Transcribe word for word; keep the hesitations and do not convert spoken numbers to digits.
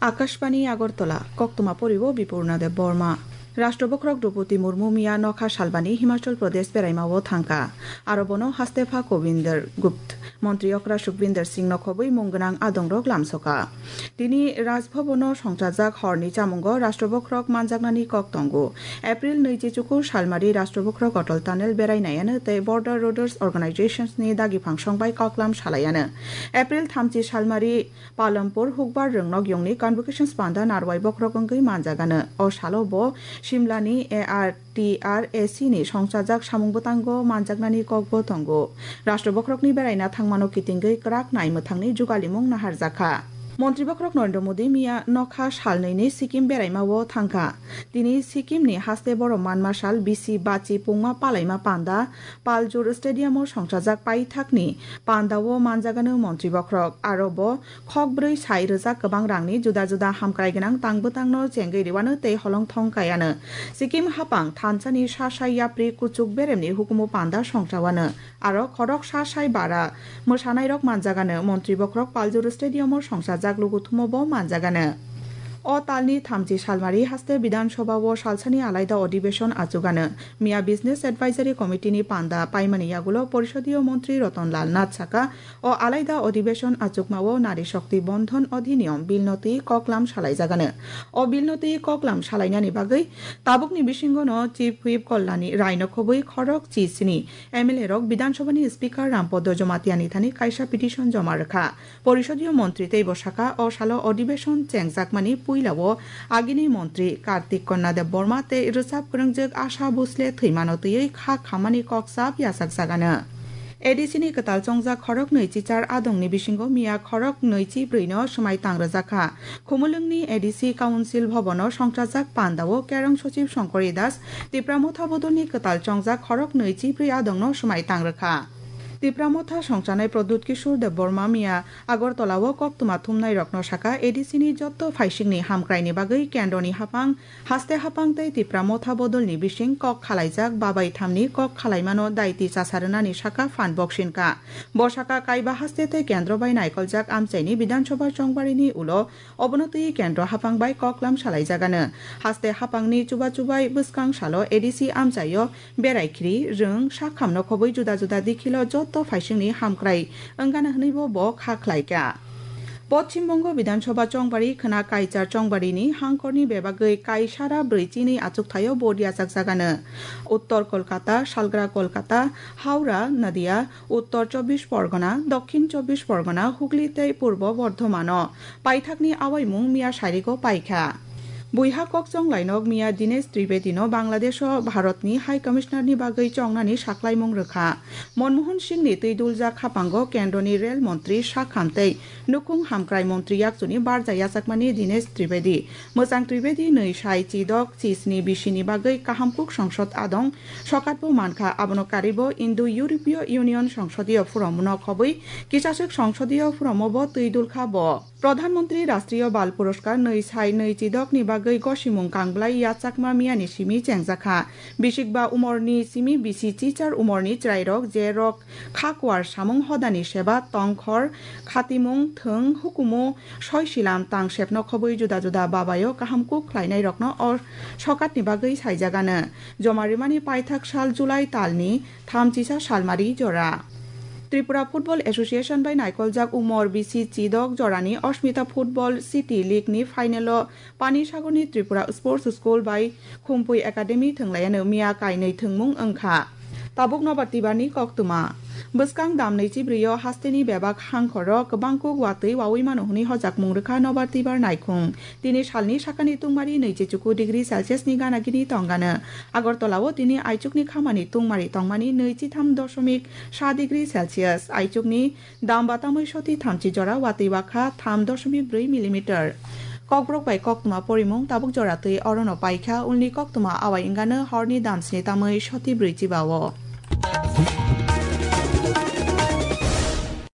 Akashbani Agartala, koktwma poribo Bipurna Deb Borma. Rashtra bokhorok Droupadi Murmu miya nokha salbani Himachal Pradesh beraimao thangkha. Aro bono hastepha Kobinder Gupt, montri okra Sukhbinder Singh no khobwi mung gwnang adongrok lamsokha. Tini Raj Bhavan-o songchajak horni chamungo Rashtra bokhorok manjaknani kok tongo. April nwichi chukur salmari Rashtra bokhorok Atal Tunnel berai naiano tei Border Roads Organizations ni dagi phangsong bai koklam salaiano. April thamchi salmari Palampur Hukbar Rwngnok Yongni Convocation Panda narwai bokhorok wngwi manjagano. O salo bo Shimla ni A R T R A C ni songchajak samung bwtango manjaknani kokbo tongo. Rashtra bokhorokni beraina thangmano kitingwi kwrak nai mwthangni jugalimung naharjakha. Montri bokhorok Narendra Modi miya nokha salnwini Sikkim beraimao thangkha. Tini Sikkim ni haste borom manma sal bisi bachi pungma palaima panda Paljur Stadium o songchajak paithakni pandao manjagano montri bokhorok. Aro bo khok brwi sai rwjak kwbang rangni juda juda hamkrai gwnang tang bwtangno chengwi rwano tei holong thong kaiano. Sikkim hapang thansani sa sai yapri kuchuk beremni hukumu panda songchawano. Aro khorok sa sai bara mwsanairok manjagano, montri bokhorok Paljur Stadium o songchajak luguthumo bo manjagano. O talni thamchi salmari haste Bidhan Sabha o salsani alaida odibeshon achugano. Miya Business Advisory Committee ni panda paimani yagulo Porisodiyo Montri Ratan Lal Nath saka, o alaida odibeshon achukmao Nari Shakti Bandhan Adhiniyam bill no twi koklam salaijagano. O bill no twi koklam salainani bagwi tabukni bisingo no Chief Whip Kalyani Rai no khobwi khorok chi sini M L A rok Bidhan Sabha ni Speaker Rampada Jamatia ni thani kaisa petition joma rwkha. Porisodiyo montri teibo saka, o salo odibeshon chengjakmani puilao agini montri Kartik Kanya Debbarma tei rwchap kwrwngjwk Asha Bhosle thwimano twiwi kha khammani kok chap yachakjagano. A D C ni kwtal chongjak khoroknwi chichar adongni bisingo miya khoroknwi chibrwi no swmai tang rwjakha. Khumulwngni A D C Council Bhavan o songchajak pandao Kerong Sochib Shankari Das, Tipra Motha Bodolni kwtal chongjak khoroknwi chibrwi adongno swmai tang rwkha. Tipra Motha songchanai Pradyut Kishore Debbarma miya Agartala o koktwma thumnairokno saka, A D C ni jotto phaisingni hamkraini bagwi kendroni haphang, haste haphang tei Tipra Motha Bodolni bising kok khalaijak babai thamni kok khalaimano daiti chasa rwnani saka phan boksinka. Bo saka kaiba haste tei kendro bai naikoljak amchaini Bidhan Sabha chongbarini ulo Obono twi kendro haphang bai koklam salaijagano. Haste haphangni chuba chubai bwskang salo A D C amchaio berai khri, rwng, sakham no khobwi juda juda dikhilo jotto phaisingni hamkrai wngana hwnwibo bo kha khlaikha. Poschim Bongo Bidhan Sabha chongbari khwna Kaichar chongbarini hangkorni bebagwi kaisara brwi chini achukthai-o vote yachakjagano. Uttor Kolkata, Salgra Kolkata, Howrah, Nadia, Uttor Chobbish Porgona, Dokhin Chobbish Porgona, Hugli tei Purbo Bordhomano paithakni awaimung miya sarigo paikha. Buiha kokchong lainok miya Dinesh Tripedi no Bangladesh o Bharat ni High Commissioner ni bagwi chongnani saklaimung rwkha. Manmohan Singh ni twi duljak haphango kendroni rel montri sakham tei nukhung hamkrai montri yakchuni barja yachakmani Dinesh Tripedi. Mwchang Tripedi nwi sai chidok chisni bisini bagwi kahamkuk songsod adong sokatbo mankha, abono karibo Indo-European Union songsodiyo phuromno khobwi kisaswk songsodiyo phuromobo twi dulkha bo. Pradhan Mantri Rashtriya Bal Puraskar nwi sai nwi chidokni bagwi gosimung kangblai yachakma miyani simi chengjakha. Bisikba umorni simi bisi chichar umorni chwrairok je rok kha kuar samung hodani seba tongkhor khatimung thwng hukumu soi silam tang sepno khobwi juda juda babayo kaham kuk khlainairokno o sokatni bagwi saijagano. Joma rimani paithak sal July talni thamchisa salmari jora. Tripura Football Association bai naikoljak umor bisi chidok jorani Asmita Football City League ni final o Pani Sagorni Tripura Sports School bai Khumpui Academy thwnglaiyano miya kainwi thwngmung wngkha. Tabuk nobar tibarni koktwma. Bwskang damnwi chibrwi-o hasteni bebak hangkhoro kwbangkuk watwi wawi mano hwnwi hojakmung rwkha nobar tibar naikhung. Tini salni sakani tungmari nwichi chuku degree Celsius ni gana gini tongano. Agartala-o tini aichukni khamani tungmari tongmani nwichi tham doshomik sa degree Celsius, aichukni Damba tamwi soti thamchi jora watwi wakha tham doshomik brwi millimeter. Kokborok bai koktwma porimung tabuk jora twi orono paikha, ulni koktwma awai wngano horni damsni tamwi soti brwi chiba-o.